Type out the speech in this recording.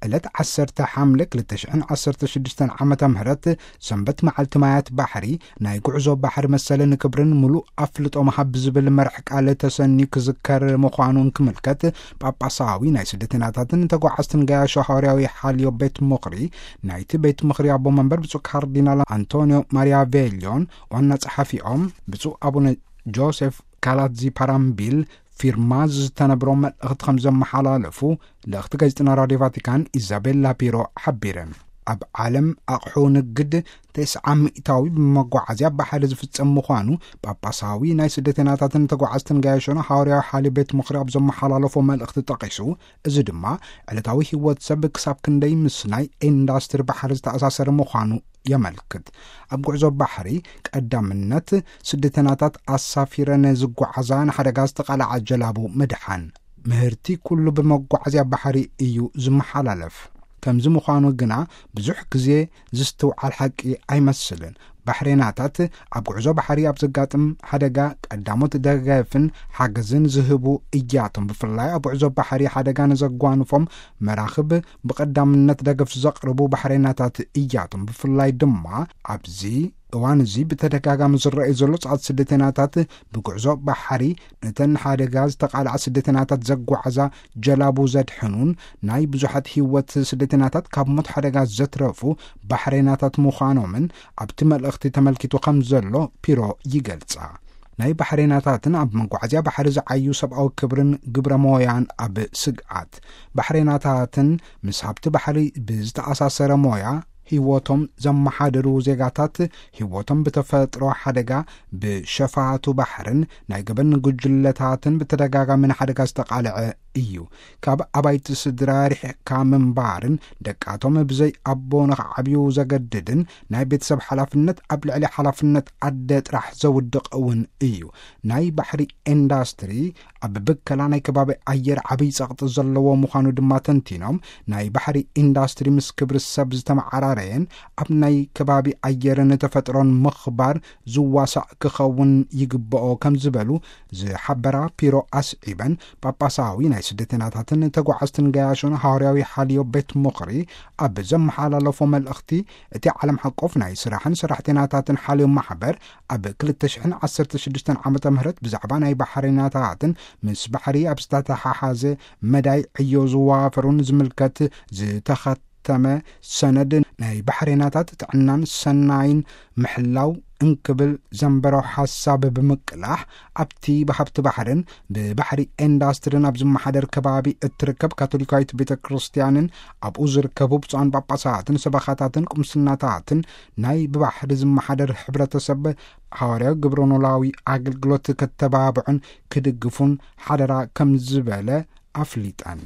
ዕለት ዓሰርተ ሓምለ ክልተ ሽሕን ዓሰርተ ሽዱሽተን ዓመተ ምህረት ሰንበት መዓልቲ ማያት ባሕሪ ናይ ጉዕዞ ባሕሪ መሰልን ክብርን ምሉእ ኣፍልጦ መሃብ ብዝብል መርሕ ቃል ተሰንዩ ክዝከር ምዃኑ እንክምልከት፣ ጳጳሳዊ ናይ ስደተኛታትን ተጓዓዝትን ገያሾ ሃዋርያዊ ሓልዮ ቤት ምኽሪ ናይቲ ቤት ምኽሪ ኣቦ መንበር ብፁዕ ካርዲናል ኣንቶኒዮ ማሪያ ቬልዮን ዋና ጸሓፊኦም ብፁዕ ኣቡነ ጆሴፍ ካላዚ ፓራምቢል ፊርማ ዝተነብሮ መልእኽቲ ከም ዘመሓላለፉ ልእኽቲ ጋዜጠና ራድዮ ቫቲካን ኢዛቤላ ፒሮ ሓቢረን። ኣብ ዓለም ኣቕሑ ንግድ ተስዓ ሚእታዊ ብመጓዓዝያ ባሕሪ ዝፍጸም ምዃኑ ጳጳሳዊ ናይ ስደተኛታትን ተጓዓዝትን ገያሾን ሃዋርያዊ ሓልዮ ቤት ምኽሪ ኣብ ዘመሓላለፎ መልእኽቲ ጠቒሱ፣ እዚ ድማ ዕለታዊ ህይወት ሰብ ክሳብ ክንደይ ምስ ናይ ኢንዳስትሪ ባሕሪ ዝተኣሳሰረ ምዃኑ የመልክት። ኣብ ጉዕዞ ባሕሪ ቀዳምነት ስደተኛታት ኣሳፊረን ዝጓዓዛ ንሓደጋ ዝተቓልዓ ጀላቡ ምድሓን። ምህርቲ ኩሉ ብመጓዓዝያ ባሕሪ እዩ ዝመሓላለፍ። ከምዚ ምዃኑ ግና ብዙሕ ግዜ ዝስትውዓል ሓቂ ኣይመስልን። ባሕሬናታት ኣብ ጉዕዞ ባሕሪ ኣብ ዘጋጥም ሓደጋ ቀዳሞት ደገፍን ሓገዝን ዝህቡ እያቶም። ብፍላይ ኣብ ጉዕዞ ባሕሪ ሓደጋ ንዘጓንፎም መራኽብ ብቐዳምነት ደገፍ ዘቕርቡ ባሕሬናታት እያቶም። ብፍላይ ድማ ኣብዚ እዋን እዚ ብተደጋጋሚ ዝረኣዩ ዘሎ ጻዕት ስደተኛታት ብጉዕዞ ባሕሪ ነተን ሓደጋ ዝተቓልዓ ስደተኛታት ዘጓዓዛ ጀላቡ ዘድሕኑን ናይ ብዙሓት ህይወት ስደተኛታት ካብ ሞት ሓደጋ ዘትረፉ ባሕሬናታት ምዃኖምን ኣብቲ መልእኽቲ ተመልኪቱ ከም ዘሎ ፒሮ ይገልጻ። ናይ ባሕሬናታትን ኣብ መጓዓዝያ ባሕሪ ዝዓዩ ሰብኣዊ ክብርን ግብረ ሞያን ኣብ ስግኣት። ባሕሬናታትን ምስ ሃብቲ ባሕሪ ብዝተኣሳሰረ ሞያ ህይወቶም ዘመሓደሩ ዜጋታት ህይወቶም ብተፈጥሮ ሓደጋ፣ ብሸፋቱ ባሕርን ናይ ገበን ጉጅለታትን ብተደጋጋሚ ንሓደጋ ዝተቓልዐ እዩ። ካብ ኣባይቲ ስድራ ርሒቕካ ምንባርን ደቃቶም ብዘይ ኣቦ ንኽዓብዩ ዘገድድን ናይ ቤተሰብ ሓላፍነት ኣብ ልዕሊ ሓላፍነት ኣደ ጥራሕ ዘውድቕ እውን እዩ። ናይ ባሕሪ ኢንዳስትሪ ኣብ ብከላ ናይ ከባቢ ኣየር ዓብይ ጸቕጢ ዘለዎ ምዃኑ ድማ ተንቲኖም፣ ናይ ባሕሪ ኢንዳስትሪ ምስ ክብሪ ሰብ ዝተመዓራረየን ኣብ ናይ ከባቢ ኣየርን ተፈጥሮን ምኽባር ዝዋሳእ ክኸውን ይግብኦ ከም ዝበሉ ዝሓበራ ፒሮ ኣስዒበን፣ ጳጳሳዊ ናይ ስደተኛታትን ተጓዓዝትን ገያሾን ሃዋርያዊ ሓልዮ ቤት ምኽሪ ኣብ ዘመሓላለፎ መልእኽቲ፣ እቲ ዓለም ሓቆፍ ናይ ስራሕን ሰራሕተኛታትን ሓልዮ ማሕበር ኣብ ክልተ ሽሕን ዓሰርተ ሽዱሽተን ዓመተ ምህረት ብዛዕባ ናይ ባሕሬናታትን ምስ ባሕሪ ኣብ ዝተተሓሓዘ መዳይ ዕዮ ዝዋፈሩን ዝምልከት ዝተኸተመ ሰነድ ናይ ባሕሬናታት ጥዕናን ሰናይን ምሕላው እንክብል ዘንበሮ ሓሳብ ብምቅላሕ፣ ኣብቲ ብሃብቲ ባሕርን ብባሕሪ ኢንዳስትርን ኣብ ዝመሓደር ከባቢ እትርከብ ካቶሊካዊት ቤተ ክርስቲያንን ኣብኡ ዝርከቡ ብፁዓን ጳጳሳትን ሰበኻታትን ቁምስናታትን ናይ ብባሕሪ ዝመሓደር ሕብረተሰብ ሃዋርያዊ ግብረ ኖላዊ ኣገልግሎት ከተባብዑን ክድግፉን ሓደራ ከም ዝበለ ኣፍሊጠን።